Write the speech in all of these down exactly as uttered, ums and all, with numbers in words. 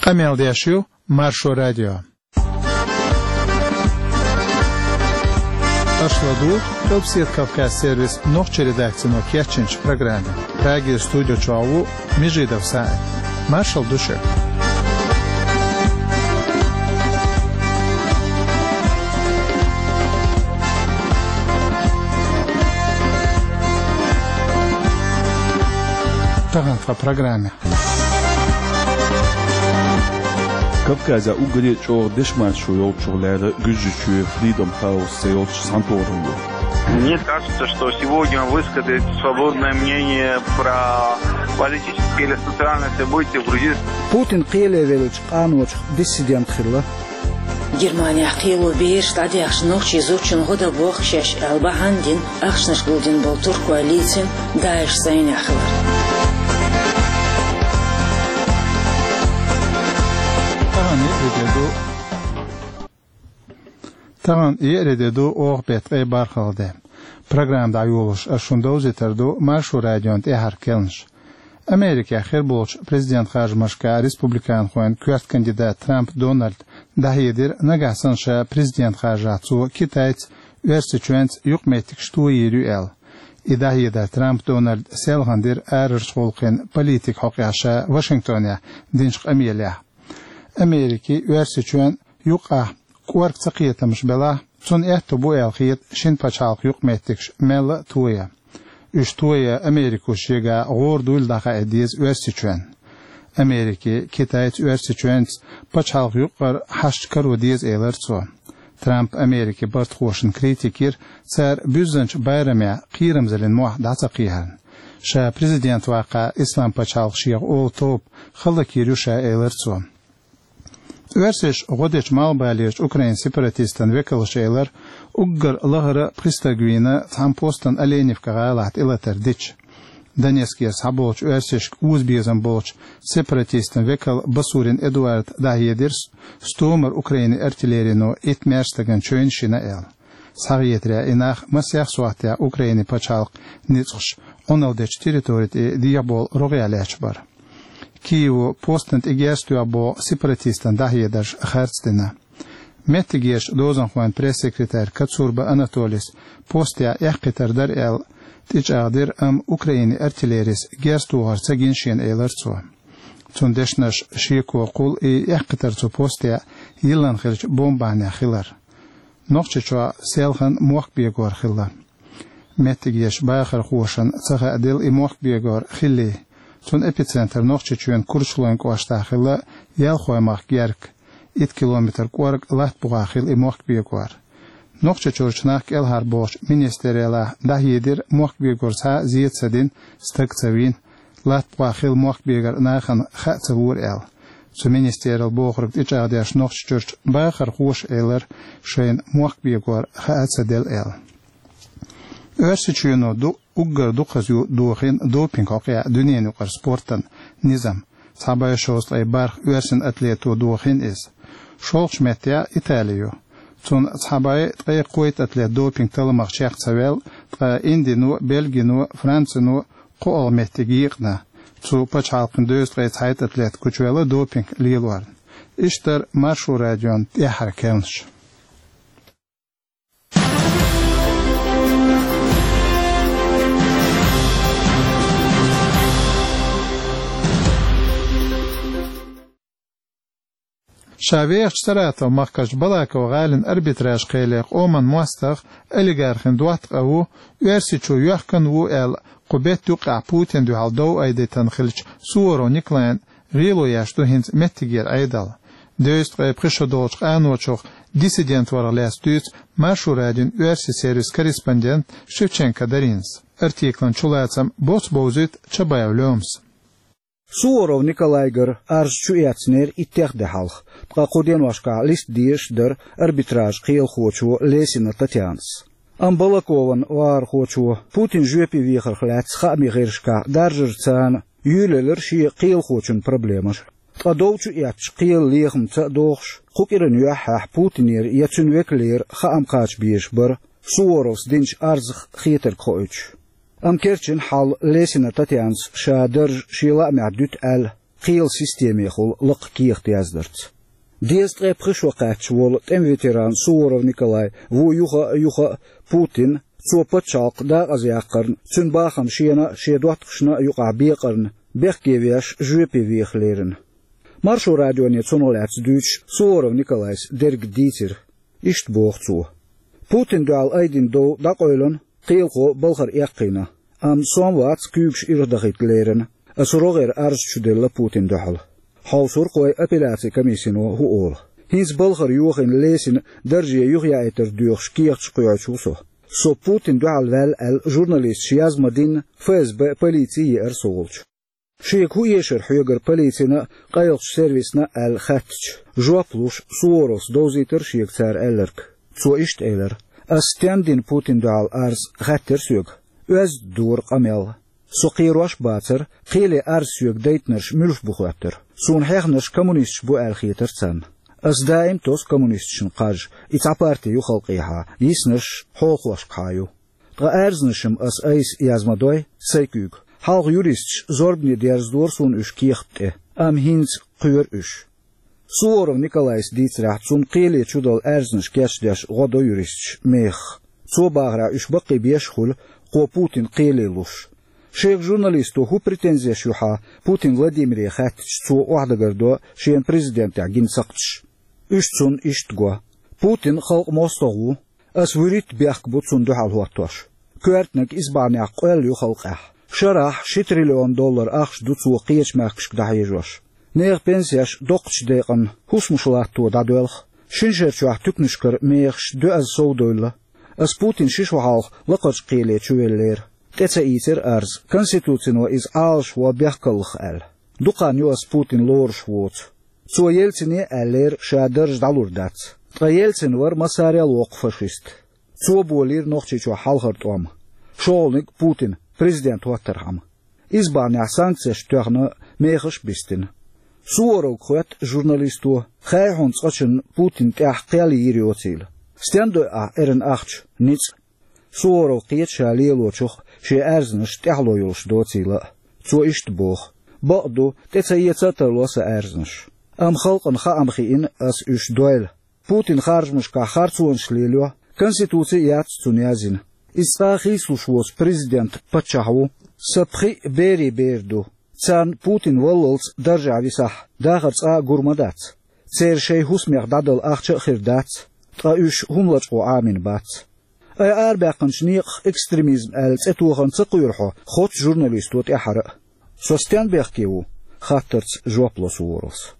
Къамел деш ю Маршо радио. Аша ладугӀу Къилбседа Кавказ сервисан нохчийн редакцино кечйинчу программе. Прагера студи чохь ву Межидов СаӀид. Маршалла ду шуьга. Тахана тхан программе. Кавказехь уггаре а чӀогӀа дешан маршо йолчух лаьрра Гуьржийчоь Freedom House цӀе йолчу цхьана тохаралло. Мне кажется, что сегодня высказать свободное мнение про политические или социальные события в Грузии. Путин кхеле веллачу къаночух диссидент хилла. Германехь кхело бераш дӀадаьхча, нохчийн зудчунна гӀо дан боху шаьш аьлла бахьана дина, ахчанаш гулдина болу туркой лийцина ДАИШ зӀенехь хилар. Тахана еарин де ду, тахана еарин де ду, оха беттан ткъе бархӀалгӀа де. Программа дӀайолош ас шуна довзийтар ду Маршо радион тӀаьххьара керланаш. Америкехь хир болчу президент харжамашкахь республиканхойн коьрта кандидат Трамп Дональда дӀахьедира, нагахь санна ша президент харжахь, цо Китайца, Оьрсийчоьнца юкъаметтигаш тойийр ю аьлла. И дӀахьедар Трамп Дональда селхана дира арарчу гӀуллакхийн политикан хьокъехь ша Вашингтонехь динчу къамелехь. Америкин, Оьрсийчоьнан юкъахь кӀорга цакхетамаш белахь, цунна аьтто бу аьлла хета шина пачхьалкхан юкъаметтигаш мелла а тоян. Уьш тоян Америко шегахь гӀора дуйла дӀахаа деза Оьрсийчоьнна. Америкин, Китайца, Оьрсийчоьнца пачхьалкхан юкъара хьашташ каро деза, элира цо. Трамп Америкин бартахошна критика йира, цара буьззинчу барамехь кхерамзаллин мохь дӀа ца кхехьарна. Ша президент ваккхахь, Исламан пачхьалкх шех олу тоба хӀаллакйийр ю ша, элира цо. Оьрсаша гӀо дечу малхбалерчу Украинан сепаратистан векалша элира, уггар лахара пхи стаг вийна цхьана постан Оленевка гӀалахь тӀелатар дича. Донецкера схьаболчу оьрсашка озабезам болчу сепаратистан векала Басурин Эдуарда дӀахьедира стомара Украинан артиллерино итт маьрша стагана чевнаш йина аьлла. Схьахетарехь, и нах масех сохьтехь Украинан пачхьалкхан ницкъаша Ӏуналла дечу территори тӀе дехьабовла рогӀехь лаьтташ бара. Киево постана тӀе герз тоьхbetт боху сепаратистан дӀахьедарш харцдина. Меттигерчу дозанхойн пресс-секретарь Коцурба Анатолис постехь эккхийтар дара аьлла тӀечӀагӀдира, амма Украинан артиллерис герз тохар ца гина шена, элира цо. Цуьнан дешнаша шеко кхуллу и эккхийтар цу постехь йиллина хиллачу бомбанехь хилар. Нохчийчохь селхана мохк бегор хилла. Меттигерчу бахархошна ца хааделла и мохк бегор хиллий. Цуьнан эпицентр Нохчийчоьнан Курчалойн кӀоштахь хилла, Ялхой-махка герга, итт километр кӀорга латта бухахь хилла и мохк бегор. Нохчийчуьрчу нах кӀелхьарбохучу министраллехь дӀахьедира, мохк бегор цхьа а зен ца дина, стаг ца вийна, латта бухахь хилла мохк бегар нахана хаа ца лора аьлла. Цу министралло бохург тӀечӀагӀдеш, Нохчийчуьрчу бахархоша элира, шайна мохк бегор хаа ца делла аьлла. Оьрсийчоьно ду уггар дукхаза ю дохийна допинг хьокъехь дуьненаюкъара спортан низам. Цхьа бӀе шовзткъе бархӀ оьрсийн атлето дохийна иза. ШолгӀачу меттехь Итали ю. Цунна цхьа бӀе ткъе кхойтта атлет допинг талламах чекх ца ваьлла, ткъа Индино, Бельгино, Францино кхоалгӀа меттиг екъна. Цу пачхьалкхан дезткъе цхьайтта атлет гучуваьлла допинг лелорна. Иштта дара Маршо радион тӀаьххьара керланаш. Ша вехачу Саратов-махкарчу Балаково гӀалин арбитраж кхеле къоман мостагӀа олигархин доттагӀа ву, Оьрсийчу йоьхкан ву аьлла, кху беттан юккъехь Путинна дуьхьал дов айдийтина хиллачу Суворов Николайна гӀело еш ду хӀинца меттигера Ӏедал. Дезткъе пхи шо долчу къаночух диссидент варх лаьцна дуьйцу Маршо радион оьрсийн сервисан корреспондент Шевченко Даринас. Артиклан чулацам боц бовзуьйту Чабаев Лёмас. Суворов Николайгара арз чу эцнера иттех де хьалха, ткъа кху деношкахь листа дезаш дара арбитраж кхелахочо Лесина Татьянас. Амма Балакован вахархочо Путин жоьпе вехарх лаьцна хаамийн гӀирсашкахь даржарца юьйлаелира шен кхелахочун проблемаш. Ткъа дов чу эцча, кхелан лехамца а дохуш, кху кӀиран юьххьехь Путинера я цуьнан векалера хаам кхача безаш бара, Суворовс динчу арзах хетарг хоуьйтуш. Амма керчина хьал Лесина Татьянас ша дарж шен лаамехь дуьту аьлла, кхелан системехула лакха кехат яздарца. Дезткъе пхи шо кхаьчча волу тӀеман ветеран Суворов Николай ву юха а, юха а Путин, цо пачхьалкх декъаза яккхарна, цуьнан бахам шена а, шен доттагӀашна а юкъахь бекъарна, бехке веш, жоьпе веха лерина. Маршо радионе цунах лаьцна дуьйцуш Суворов Николайс дерг дийцира. Иштта боху цо: «Путинна дуьхьал айдина дов дӀакъевлина, кхелахо балхара эккхийна. Амма со-м вац куьйгаш ирхдахийта лерина. Аса рогӀера арз чуделла Путинна дуьхьал. Хьовсур-кх вай апелляцин комиссино хӀун олу. ХӀинца балхара йохийна, лесина дарже юхаяийтар доьхуш кехаташ кхоьхьуш ву со. Со Путинна дуьхьал ваьлла аьлла журналисташа яз ма-динна, ФСБ, полици еара со волчу». Шега хӀун эшара хьоьгара полицина а, къайлахчу сервисна а аьлла хаьттича, жоп луш, Суворовс довзийтира шега цара аьлларг. Цо иштта элира: «Ас стенна дина Путинна дуьхьал арз?» — хаьттира соьга. Оьзда дора къамел. Со кхерош а бацара, кхеле арз соьга дайтинарш муьлш бу хоьттура. Суна хьехнарш коммунисташ бу аьлла хетара царна. Ас даим тосу коммунисташна кхаж, и цхьа парти ю халкъехьа, йиснарш хьолахошкахьа ю. Ткъа аьрзнаш-м ас айса яз ма дой, сайн куьйга. Хьалха юристаш зорбане дерзадора суна уьш кехат тӀе, амма хӀинца кхоьру уьш». Суворов Николайс дийцарехь, цунна кхеле чудала аьрзнаш кечдеш гӀо до юристаш мехах. Цо бахарехь, уьш баккхий беш а хуьлу, кхо Путин кхеле луш. Шега журналисто хӀун претензеш ю хьан Путин Владимире хаьттича, цо охьадагардо шена президентехь гина сакхташ. Уьш цунна иштта го: «Путин халкъан мостагӀа ву. Ас вуьрхӀитта бехк бу цунна дуьхьал хӀоттош. Коьртаниг исбахьанехь къоьлла ю халкъехь. Шарахь ши триллион доллар ахча ду цо кхечу мехкашка дӀахьежош. Нехан пенсеш доккхачу декъана хӀусамаш латто дӀадоьлху. Шина шара чохь туьканашкара мехаш доьазза совдевлла. Ас Путин ши шо хьалха лакхарчу кхеле чувеллера. ТӀе ца ийцира арз, конституцино иза Ӏалашван бехкаллах аьлла. Дукха хан ю ас Путин лоруш воцу. Цо Ельцине а аьллера, ша дарж дӀалур дац. Ткъа Ельцин вара массарел воккха фашист. Цо болийра Нохчийчохь хьалхара тӀом. ШолгӀаниг Путин президент хӀоттархьама. Исбахьанехь санкцеш тоьхна, мехаш а бистина». Суворовга хоьтту журналисто, хай хьуна цкъачунна Путин тӀехь кхел йийр йоцийла. «Стенна дой ахь эрна ахча?» — ницкъ. Суворов кхета ша лелочух шен аьрзнаш тӀаьхьало йолуш доцийла а. Цо иштта боху: «Бакъ ду, тӀе ца эца а тарло сан аьрзнаш. Амма халкъана хаам хиъна ас уьш дойла. Путин харжамашкахь харцонаш лелайо, конституци а яц цунна язйина. Иза цкъа а хийцалуш воцу президент, паччахь ву. Сан пхиъ берийн бер ду. Царна Путин валлалц даржехь висахь, дахар цкъа а гур ма дац. Церан шайн хӀусамех дӀадала ахча а хир дац, ткъа уьш хӀума лачкъо Ӏамийна бац». «Ай, арабаьккхинчу некъах экстремизм аьлла цӀе тохарна ца кхоьру хьо хоцчу журналисто тӀаьххьара а?» «Со стенна бехке ву?» — хаттарца жоп ло Суворовс.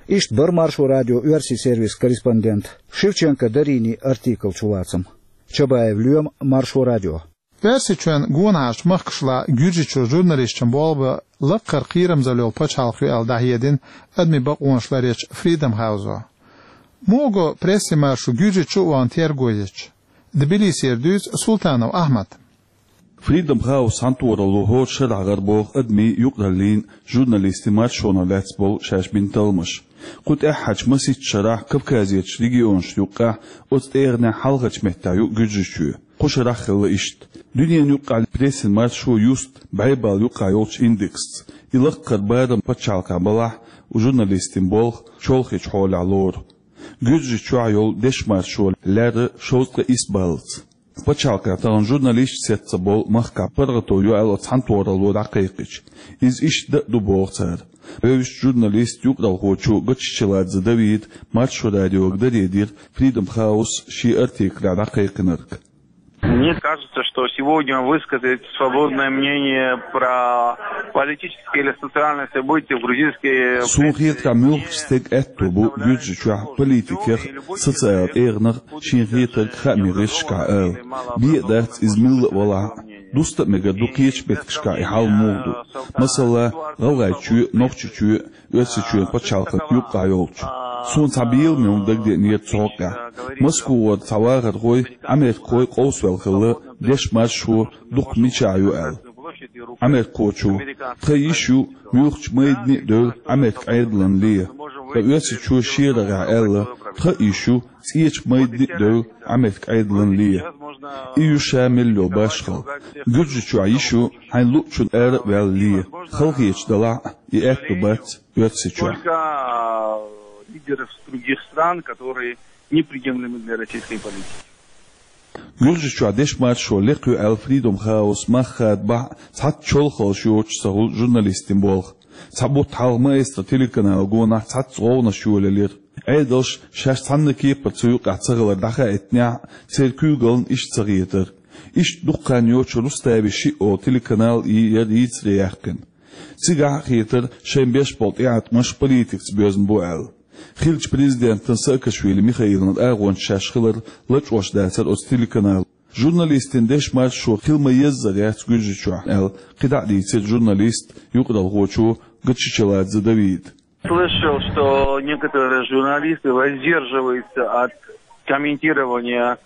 Иштта бара Маршо радион оьрсийн сервисан корреспондент Шевченко Даринин артикл чулацам. Чабаев Лоьма, Маршо радио. Оьрсийчоьнан гонахьарчу махкашлахь Гуьржийчоь журналисташна болх бан лакхара кхерамзалла йолу пачхьалкх ю аьлла дӀахьедина адамийн бакъонаш ларъечу Freedom House-о. Муха го прессин маршо Гуьржийчу а вахана терго ечу? Тбилисера дуьйцу Султанов Ахьмада. Freedom House цхьаьнатохаралло хӀора шарахь гӀарабоху адамийн, юкъараллин, журналистийн маршонах лаьцна болу шаьш бина талламаш. Кху тӀаьххьарчу масийтта шарахь Кавказерчу регионашна юккъехь, оцу тӀегӀанехь хьалхарчу меттехь ю Гуьржийчоь. Кху шарахь хилла иштта. Дуьненан юккъехь прессин маршо юсту бӀе балла юккъехь йолчу индексца. И лакхара барам пачхьалкхехь балахь, журналистийн болх чолхечу хьолехь лору. Гуьржийчохь йолу дешан маршо лаьрра шовзткъе исс баллаца. Пачхьалкхехь тахана журналисташ сецна болу махкахь паргӀато ю аьлла оцу цхьаьнатохаралло дӀакхайкхича, иза иштта дан а ду боху цара. Вевзачу журналиста, юкъаралхочо Гоччичеладзе Давида Маршо радиога даре дира Freedom House шен артиклехь дӀакхайкхинарг. Мне кажется, что сегодня высказать свободное мнение про политические или социальные события в грузинской... Суна хетарехь, муьлххачу стеган аьтто бу Гуьржийчохь политикех, социалан тӀегӀанах шена хетарг хаамийн гӀирсашкахь ала. Бен а дац иза милла а валахь а. Дуста а мегар ду кхечу меттигашкахь и хьал муха ду. Масала, ГӀалгӀайчоь а, Нохчийчоь а, Оьрсийчоьнан пачхьалкхан юккъехь йолчу. Суна цхьа беламе хӀума дагадеанера цу хьокъехь. Москвара цхьа вахархой, америкахой къовсавелла хилла дешан маршо дукха мичахь ю аьлла. Америкахочо: «Тхан йиш ю муьлххачу майдане а девлла Америкин Ӏедалан лен». Ткъа Оьрсийчоь шен рогӀехь аьлла: «Тхан йиш ю цӀечу майдане а девлла Америкин Ӏедалан лен». И ю ша мел йола башхалла. Гуьржийчохь йиш ю хьайна луъучунна ара а ваьлла ле. Халахеташ далахь а, и аьтто бац Оьрсийчохь. Только лидеров других стран, которые неприемлемы для российской политики. Гуьржийчохь дешмаршо лекха ю аьлла Freedom House мах хадабахь а, цхьацца чолхаллаш йоцуш ца хуьлу журналистийн болх. Цхьа бутт хьалха Маэстро телеканала гонахь цхьацца гӀовгӀанаш йолаелира. Ӏедалш шаьш цхьанна кепара цу юкъахь ца хилар дӀахаийтинехь а, церан куьйгаллина иштта ца хетара. Иштта дукха хан йоцуш Рустави шиъ олу телеканал и яра йийцаре яьккхина. Цигахь а хетара шайн беш болу тӀеӀаткъамаш политикаца боьзна бу аьлла. Хиллачу президентан Саакашвили Михаилан агӀончаш шаьш хилар лачкъош дацара оцу телеканалан. Журналистийн дешмаршо хила ма-еззара яц Гуьржийчохь аьлла, кхидӀа а дийцира журналист, юкъаралхочо Гачичеладзе Давида. Слышал, что некоторые журналисты воздерживаются от комментирования,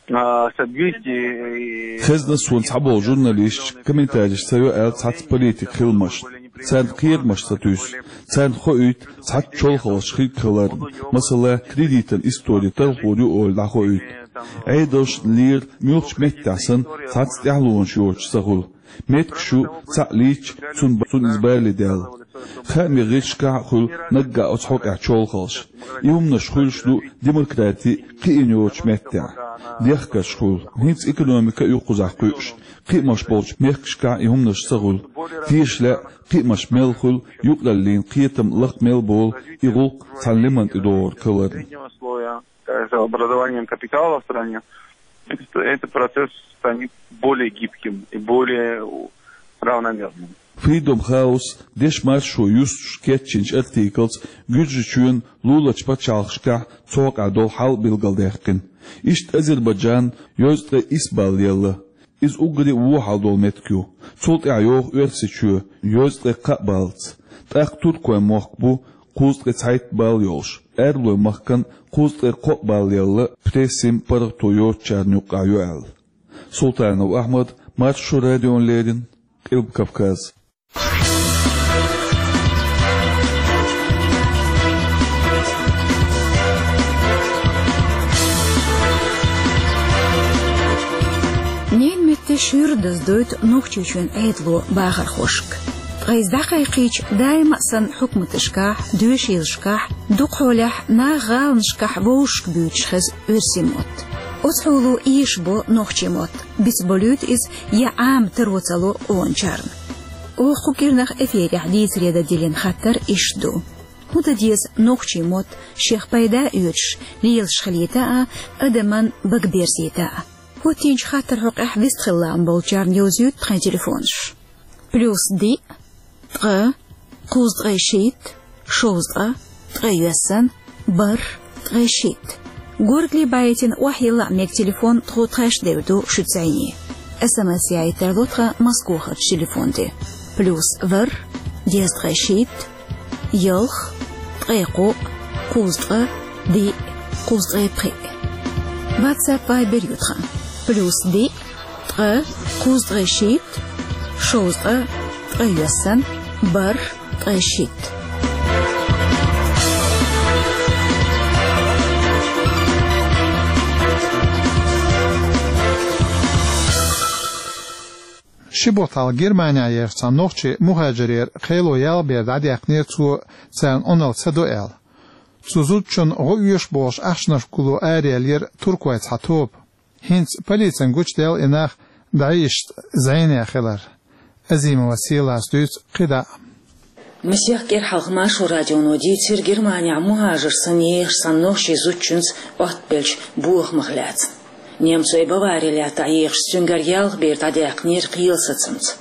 а, событий и... Хезна суна цхьаболу журналисташ комментареш ца йо аьлла цхьацца политикан хиламашна. Царна кхерамаш ца туьйсу. Царна хоуьйту цхьацца чолхаллаш хир хиларна, масала, кредитан истори талхор ю олий дӀахоуьйту. Ӏедалшна лера муьлххачу меттехь санна цхьацца тӀаьхьалонаш йоцуш ца хуьлу. Меттигаш ю, цхьаъ лийча, цунна, цунна иза бале даьлла. Хаамийн гӀирсашкахь а хуьлу наггахь оцу хьокъехь чолхаллаш. И хӀуманаш хуьлуш ду демократи кхиъна йоцучу меттехь. Дехкарш хуьлу, хӀинца экономика а юккъузахь кхуьуш, кхиамаш болчу мехкашкахь и хӀуманаш ца хуьлу. Теша лаьа, кхиамаш мел хуьлу, юкъараллин кхетам лакха мел болу, и гӀуллакх цхьана лиман тӀе догӀург хиларна. С образованием капитала в стране, это, этот процесс станет более гибким и более равномерным. Freedom House дешмаршо юстуш кечйинчу артиклаца Гуьржийчоьнан луларчу пачхьалкхашкахь цу хьокъехь долу хьал билгалдаьккхина. Иштта Азербайджан йозткъе исс балл елла. Иза уггаре а вон хьал долу меттиг ю. Цул тӀаьхьа йогӀу Оьрсийчоь, йозткъе кхаа баллаца. ТӀаккха Туркойн мохк бу, кхузткъе цхьайтта балл йолуш. Арабойн махкана кхузткъе кхоъ балл елла, прессин паргӀато йоцучарна юккъехь ю аьлла. Султанов Ахьмад, Маршо радиона леррина, Къилба Кавказ. Ненан меттан шуьйра даздойту Нохчийчоьнан Ӏедало бахархошка. Ткъа иза дӀакхайкхийча, даима а санна хьукматашкахь, доьшийлашкахь, дукхахьолехь нах гӀаланашкахь вовшашка буьйцуш хеза оьрсийн мотт. Оцу хьоло эшабо нохчийн мотт, бицболуьйту иза я Ӏама таро ца ло къоначарна. Оха кху кӀирнах эфирехь дийцаре дан диллина хаттар иштта ду: хӀун дан деза нохчийн мотт шех пайда а оьцуш лелаш хилийта а, адаман бага берзийта а? ХӀоттийначу хаттаран хьокъехь вистхила лаам болчарна йовзуьйту тхайн телефонаш. Плюс диъ, ткъа, кхузткъе шийтта, шовзткъа, ткъе йоьссан, бархӀ, ткъе шийтта. Горгали байтина охьайилла а мега телефон тхо тхаьш девр ду шуьца зӀене. СМС яийта тарло тхан Москохарчу телефон тӀе. Плюс ворхӀ, дезткъе шийтта, ялх, ткъе кхоъ, кхузткъа, диъ, кхузткъе пхиъ. WhatsApp, Viber ю тхан. Плюс диъ, ткъа, кхузткъе шийтта, шовзткъа, ткъе йоьссан, бархӀ, ткъе шийтта. Ши бутт хьалха Германехь ехачу цхьана нохчийн мухӀажарера кхело ялх бер дӀадаьккхинера цо, царна Ӏуналла ца до аьлла. Цу зудчунна гӀо оьшу бохуш ахчанаш гулло араеллера туркойн цхьа тоба. ХӀинца полицина гучудаьлла и нах ДАИШ-ца зӀене хилар. Азимова Селас дуьйцу кхидӀа а. Масех кӀира хьалха Маршо радионо дийцира Германехь мухӀажар санна ехачу цхьана нохчийн зудчуьнца оттабеллачу бохамах лаьцна. Немцойн Бавари лаьттахь ехаш цуьнгара ялх бер дӀадаьккхинера кхелан сацамца.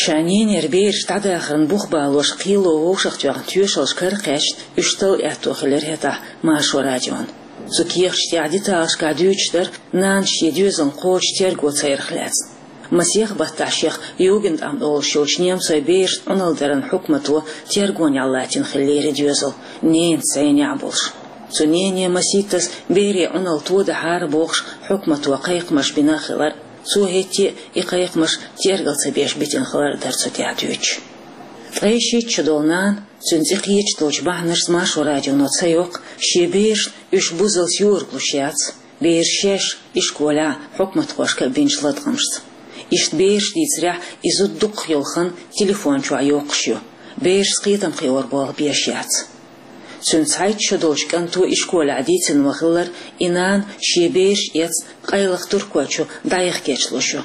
Ша ненера бераш дӀадахарна бух балош кхело вовшахтоьхна тоьшаллаш кара кхаьчна уьш талла аьтто хилира хӀетахь Маршо радиона. Цу кехаташ тӀехь деталашкахь дуьйцуш дара нанас шен доьзална кхочуш терго ца ярах лаьцна. Масех баттахь шех Югендамт олуш йолчу немцойн берашна Ӏуналла даран хьукмато тергонехь латтийна хиллера и доьзал, ненаца зӀенехь болуш. Цу нене масийттаза берийн Ӏуналла тодахьара бохуш хьукмато кхайкхамаш бина хилар. Цо хӀетте а и кхайкхамаш тергал ца беш битина хилар дара цу тӀехь дуьйцуш. Ткъе шийтта шо долу нана, цуьнан цӀе кхеташ долчу бахьанашца Маршо радионо ца йоккху, шен берашна уьш бузалц йоралуш яц. Бераш шаьш ишколехь хьукматхошка бинчу латкъамашца. Иштта бераш дийцарехь, и зуда дукхах йолу хан телефон чохь йоккхуш ю. Берашца кхетам кхиор болх беш яц. Цуьнан цхьайтта шо долчу кӀанто ишколехь дийцина ма-хиллара, и нана шен бераш эцна къайлаха Туркойчу дӀаяха кечлуш ю.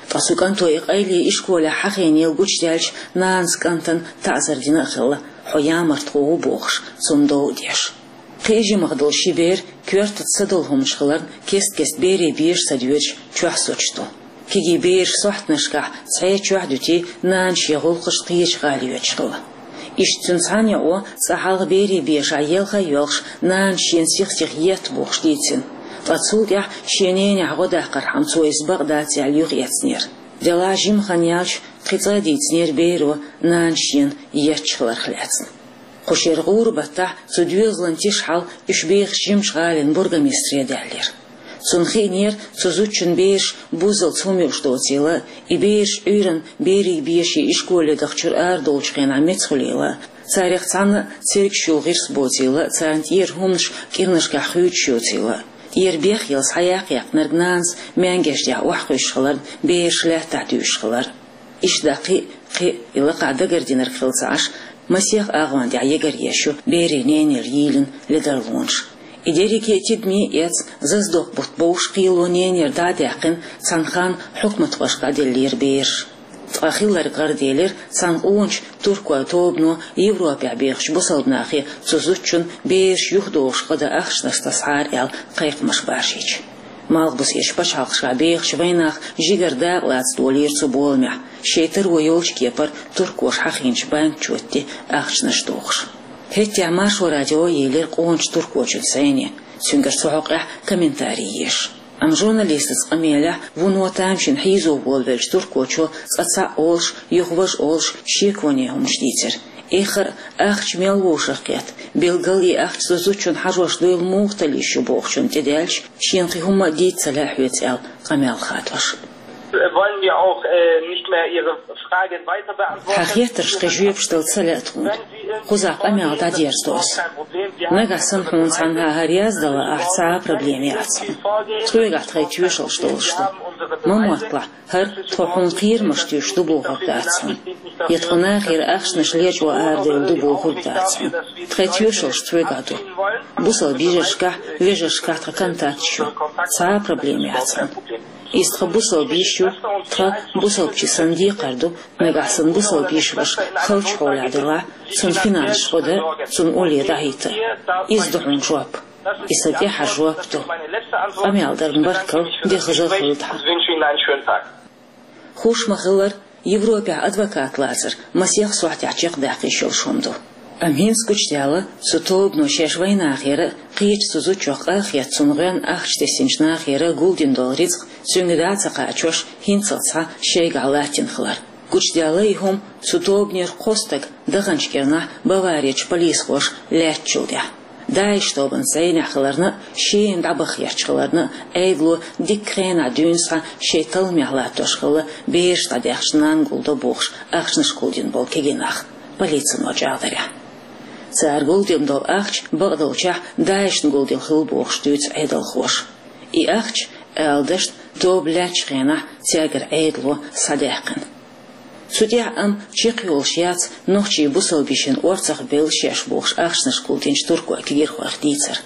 Ткъа цу кӀанто и къайле ишколехь хьахийнера гучудаьлча, нанас кӀантана таӀзар дина а хилла, хьо ямартхо ву бохуш, цунна дов а деш. Кхин а жимах долу ши бер коьртаца са долу хӀуманаш хиларна кест-кеста берийн беша ца доьдуш чохь соцуш ду. Кегий бераш сохьтанашкахь цхьа чохь дуьтий, нана шен гӀуллакхашна кхечу гӀала йоьдуш хилла. Иштта цуьнан цхьана йоӀо цкъа хьалха берийн бешахь елха а йоьлхуш, нанас шена сих-сиха етта бохуш дийцина. Ткъа цул тӀаьхьа шен ненехь гӀо даккхархьама цо иза бакъ дац аьлла юхаэцнера. Делахь жима хан яьлча, кхин цкъа а дийцинера беро нанас шена етташ хиларх лаьцна. Кху шеран гӀуран баттахь цу доьзалан тиша хьал уьш бехачу жимачу гӀалин бургомистре даьллера. Цунна хиънера цу зудчун бераш буззалц хӀума юуш доцийла, и бераш Ӏуьйранна берийн беший ишколе дахчуьра арадолучу хенахь меца хуьлийла, царах цхьанна а цергаш йолу гӀирс боцийла, царна тӀера хӀуманаш кӀирнашкахь хуьйцуш йоцийла. ТӀера бехъелла схьаяккхаяккхинарг нанас маьнгеш дехьа охьакхуьйсуш хиларна, бераш лаьттахь дуьйшуш хилар. Иштта кхин а, кхин а и лакхахь дагардинарг хилла ца Ӏаш, масех агӀон тӀехь егар еш ю берийн ненера йийлина ледарлонаш. И дерриге а тидаме эцна, зазадоккху бутт бовш кхело ненера дӀа а даьккхина, цхьана ханна хьукматхошка дӀаделлера бераш. Ткъа хилларг гӀараделира цхьана къоначу туркойн тобано Европехь бехачу бусалба нахе цу зудчун бераш юхадохуш гӀо дан ахчанаш тасахьара аьлла кхайкхамаш баржийча. Малхбузерчу пачхьалкхашкахь бехачу вайнаха жигара дакъалаца долийра цу боламехь, шайн таро йолчу кепара туркоша хьахийначу банкан чоьтте ахчанаш дохуш. ХӀетахь Маршо радио елира къоначу туркочуьнца зӀене, цуьнгара цу хьокъехь комментарий еш. Амма журналистаца къамелехь вуно тамашийна хьийзо волавеллачу туркочо цкъа цхьаъ олуш, юха важа олуш шеконе хӀуманаш дийцира. Эххар а ахча мел вовшах кхетта, билггал и ахча цу зудчунна хьажош дуйла муха талла йиш ю бохучунна тӀедаьлча, шена кхин хӀумма а дийца ца лаьа хьоьца аьлла къамел хадош. Wollen wir auch äh, nicht mehr Ihre Frage weiter beantworten? Хьан хеттаршна кхин жоьпаш дала ца лаьа тхуна. Кхузахь къамел дӀадерзадо аса. Нагахь санна хьуна цхьанхьа хӀара яздала ахь, цхьа а проблема яц хьуна. Тхоьгахь тхайн тоьшаллаш долуш ду. Ма мотталахь, хӀара тхо хьуна кхерамаш туьйсуш ду бохург дац хьуна. Я тхо нахера ахчанаш лечкъо арадевлла ду бохург дац хьуна. Тхайн тоьшаллаш тхоьгахь ду. Бусалба йижаршкахь, вежаршкахь тхан контакташ ю. Цхьа а проблема яц хьуна. Иза тхан бусалба йиш ю, тхан бусалбачийн санна декхар ду, нагахь санна бусалба йиш ваша халчу хьолехь делахь, цунна финансаш гӀо дан, цунна улле дӀахӀитта. Иза ду хьуна жоп. И сан тӀаьххьара жоп ду. Къамел дарна баркалла, де хаза а хуьлда хьан. Хууш ма-хиллара, Европехь адвокат лацар масех сохьтехь чекхдаккха йиш йолуш хӀума ду. Амма хӀинца гучудаьлла, цу тобано шаьш вайнахера а, кхечу цу зудчух къа а хетта, цунна гӀоьнна ахча тесначу нахера а гулдина долу рицкъ цуьнга дӀа а ца кхачош, хӀинццалц схьа шайгахь латтийна хилар. Гучудаьлла и хӀума цу тобанера кхо стаг даханчу кӀирнахь Баварерчу полисхоша лаьттачул тӀаьхьа. ДАИШ тобанца зӀенехь хиларна а, шена дӀабаххьерчу хиларна а, Ӏедало дикка хенахь дуьйна схьа шайн талламехь латтош хилла бераш дӀадаьхча нанна гулдо бохуш ахчанаш гулдина болу кегий нах, полицино чӀагӀдарехь. Цара гулдина долу ахча бакъдолчехь ДАИШна гулдина хилла бохуш дуьйцу Ӏедалхоша. И ахча, ала дашна, тоба лаьттачу хенахь цаьргара Ӏедало схьадаьккхина. Цу тӀехь амма чекхйолуш яц нохчийн бусалба йишин орцах белла шаьш бохуш ахчанаш гулдинчу туркойн кегийрхойх дийцар.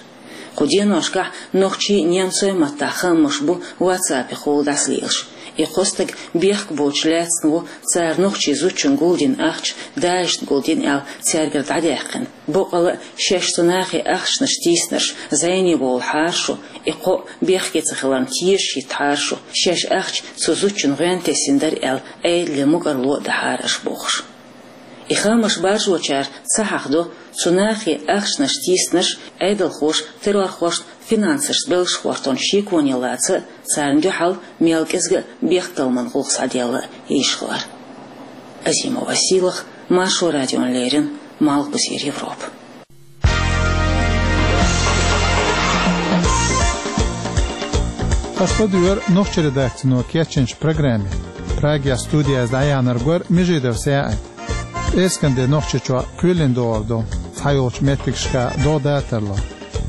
Кху деношкахь нохчийн, немцойн маттахь хаамаш бу WhatsApp-ехула дӀасалелаш. И кхо стаг бехк боцуш лаьцна ву, цара нохчийн зудчунна гулдина ахча ДАИШна гулдина аьлла цаьргара дӀадаьккхина. Боккъала а шаьш цу нахе ахчанаш тийснарш зӀене волахьара шу, и кхоъ бехке ца хиларна тешаш хӀиттахьара шу, шаьш ахча цу зудчунна гӀоьнна тесина дара аьлла Ӏедале мукӀарло а дахьара аша бохуш. И хаамаш баржочара ца хьахдо, цу нахе ахчанаш тийснарш Ӏедалхоша террорхошна финансашца белларш хӀоттонан шеконе лаца а, царна дуьхьал мел кӀезга а бехктакхаман гӀуллакх схьаделла а йиш хилар. Азимова Сийлаха, Маршо радиона леррина, Малхбузера Европа. Аша ладуьйгӀира нохчийн редакцино кечйинчу программе. Прагехь студехь иза дӀаяьхьнарг вара Межидов СаьӀид. Эскан де Нохчийчохь кхоьлина догӀур ду, цхьайолчу меттигашка догӀа дацар ло.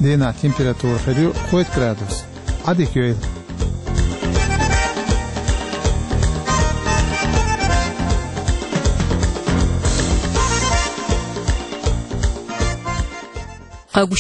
Дийнахь температура хир ю кхойтта градус. Ade Joel.